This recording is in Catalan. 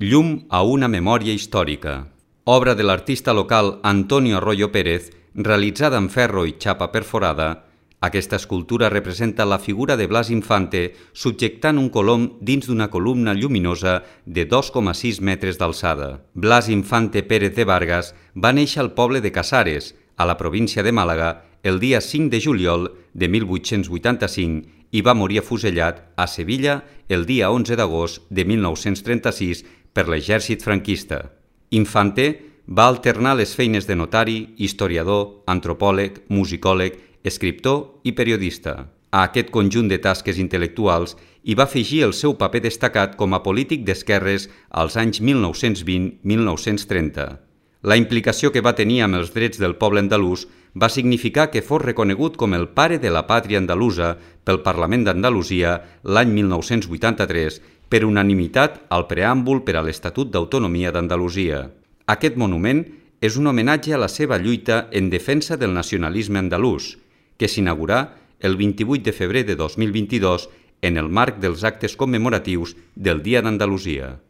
Llum a una memòria històrica. Obra de l'artista local Antonio Arroyo Pérez, realitzada en ferro i xapa perforada, aquesta escultura representa la figura de Blas Infante subjectant un colom dins d'una columna lluminosa de 2,6 metres d'alçada. Blas Infante Pérez de Vargas va néixer al poble de Casares, a la província de Màlaga, el dia 5 de juliol de 1885 i va morir afusellat a Sevilla el dia 11 d'agost de 1936 per l'exèrcit franquista. Infante va alternar les feines de notari, historiador, antropòleg, musicòleg, escriptor i periodista. A aquest conjunt de tasques intel·lectuals hi va afegir el seu paper destacat com a polític d'esquerres als anys 1920-1930. La implicació que va tenir amb els drets del poble andalús va significar que fos reconegut com el pare de la pàtria andalusa pel Parlament d'Andalusia l'any 1983 per unanimitat al preàmbul per a l'Estatut d'Autonomia d'Andalusia. Aquest monument és un homenatge a la seva lluita en defensa del nacionalisme andalús, que s'inaugurà el 28 de febrer de 2022 en el marc dels actes commemoratius del Dia d'Andalusia.